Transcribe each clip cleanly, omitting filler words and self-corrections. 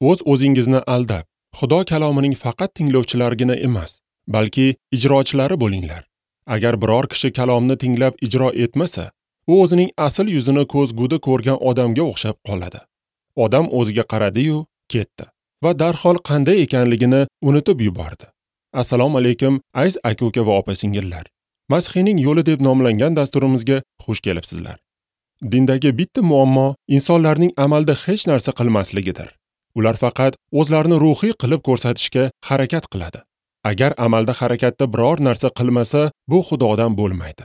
O'z o'zingizni aldab, Xudo kalomining faqat tinglovchilarigina emas, balki ijrochilari bo'linglar. Agar biror kishi kalomni tinglab ijro etmasa, u o'zining asl yuzini ko'zguda ko'rgan odamga o'xshab qoladi. Odam o'ziga qaradi-yu, ketdi va darhol qanday ekanligini unutib yubordi. Assalomu alaykum, aziz aka-uka va opa-singillar. Masihiyning yo'li deb nomlangan dasturimizga xush kelibsizlar. Dindagi bitta muammo insonlarning amalda hech narsa qilmasligidir. Ular faqat o'zlarini ruhiy qilib ko'rsatishga harakat qiladi. Agar amalda harakatda biror narsa qilmasa, bu Xudodan bo'lmaydi.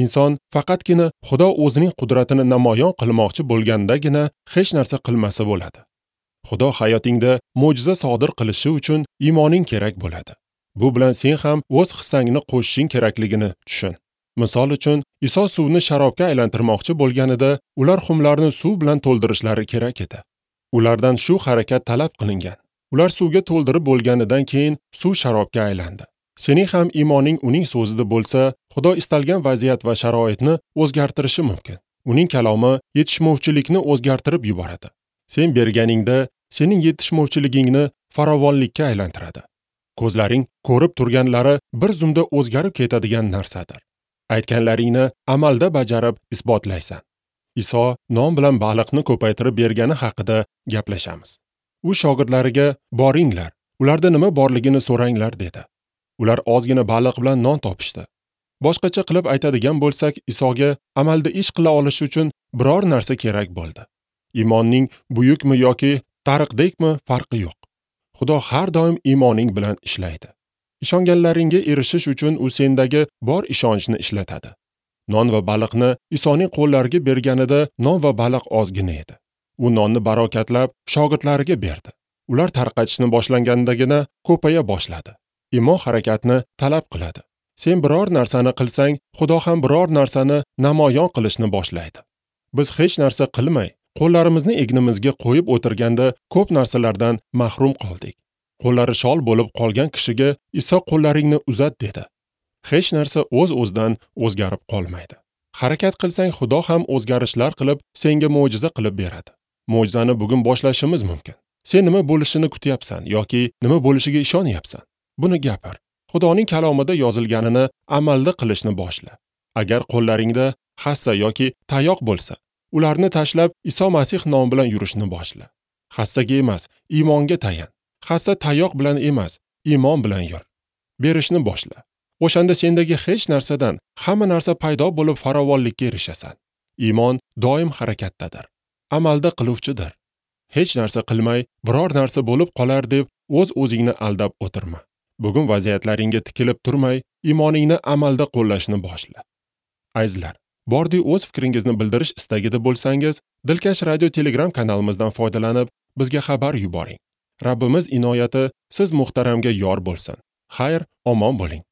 Inson faqatgina Xudo o'zining qudratini namoyon qilmoqchi bo'lgandagina hech narsa qilmasa bo'ladi. Xudo hayotingda mo'jiza sodir qilishi uchun iymoning kerak bo'ladi. Bu bilan sen ham o'z hissangni qo'shishing kerakligini tushun. Misol uchun, Iso suvni sharobga aylantirmoqchi bo'lganida, ular xumlarni suv bilan to'ldirishlari kerak edi. Ulardan shu harakat talab qilingan. Ular suvga to'ldirib bo'lganidan keyin suv sharobga aylandi. Sening ham iymoning uning so'zida bo'lsa, Xudo istalgan vaziyat va sharoitni o'zgartirishi mumkin. Uning kalomi yetishmovchilikni o'zgartirib yuboradi. Sen berganingda sening yetishmovchiligingni farovonlikka aylantiradi. Ko'zlaring ko'rib turganlari bir zumda o'zgarib ketadigan narsadir. Aytganlaringni amalda bajarib isbotlaysan. Iso non bilan baliqni ko'paytirib bergani haqida gaplashamiz. U shogirdlariga boringlar, ularda nima borligini so'ranglar dedi. Ular ozgina baliq bilan non topishdi. Boshqacha qilib aytadigan bo'lsak, Isoga amalda ish qila olish uchun biror narsa kerak bo'ldi. Iymonning buyukmi yoki tariqdekmi farqi yo'q. Xudo har doim iymoning bilan ishlaydi. Ishonganlaringga erishish uchun u sendagi bor ishonchni ishlatadi. Non va baliqni Isoning qo'llariga berganida non va baliq ozgina edi. U nonni barokatlab shogirdlariga berdi. Ular tarqatishni boshlangandagina ko'paya boshladi. Iymon harakatni talab qiladi. Sen biror narsani qilsang, Xudo ham biror narsani namoyon qilishni boshlaydi. Biz hech narsa qilmay, qo'llarimizni egnimizga qo'yib o'tirganda ko'p narsalardan mahrum qoldik. Qo'llari shol bo'lib qolgan kishiga Iso qo'llaringni uzat dedi. Hech narsa o'z-o'zidan o'zgarib qolmaydi. Harakat qilsang, Xudo ham o'zgarishlar qilib, senga mo'jiza qilib beradi. Mo'jizani bugun boshlashimiz mumkin. Sen nima bo'lishini kutyapsan yoki nima bo'lishiga ishonyapsan? Buni gapir. Xudoning kalomida yozilganini amalda qilishni boshla. Agar qo'llaringda hassa yoki tayoq bo'lsa, ularni tashlab Iso Masih nomi bilan yurishni boshla. Hassaga emas, iymonga tayan. Hassa tayoq bilan emas, iymon bilan yur. Berishni boshla. O'shanda sendagi hech narsadan hamma narsa paydo bo'lib farovonlikka erishasan. Iymon doim harakatdadir. Amalda qiluvchidir. Hech narsa qilmay, biror narsa bo'lib qolar deb o'z-o'zingni aldab o'tirma. Bugun vaziyatlaringga tikilib turmay, iymoningni amalda qo'llashni boshla. Azizlar, bordi o'z fikringizni bildirish istagida bo'lsangiz, Dilkash radio Telegram kanalimizdan foydalanib, bizga xabar yuboring. Rabbimiz inoyati siz muhtaramga yor bo'lsin. Xayr, omon bo'ling.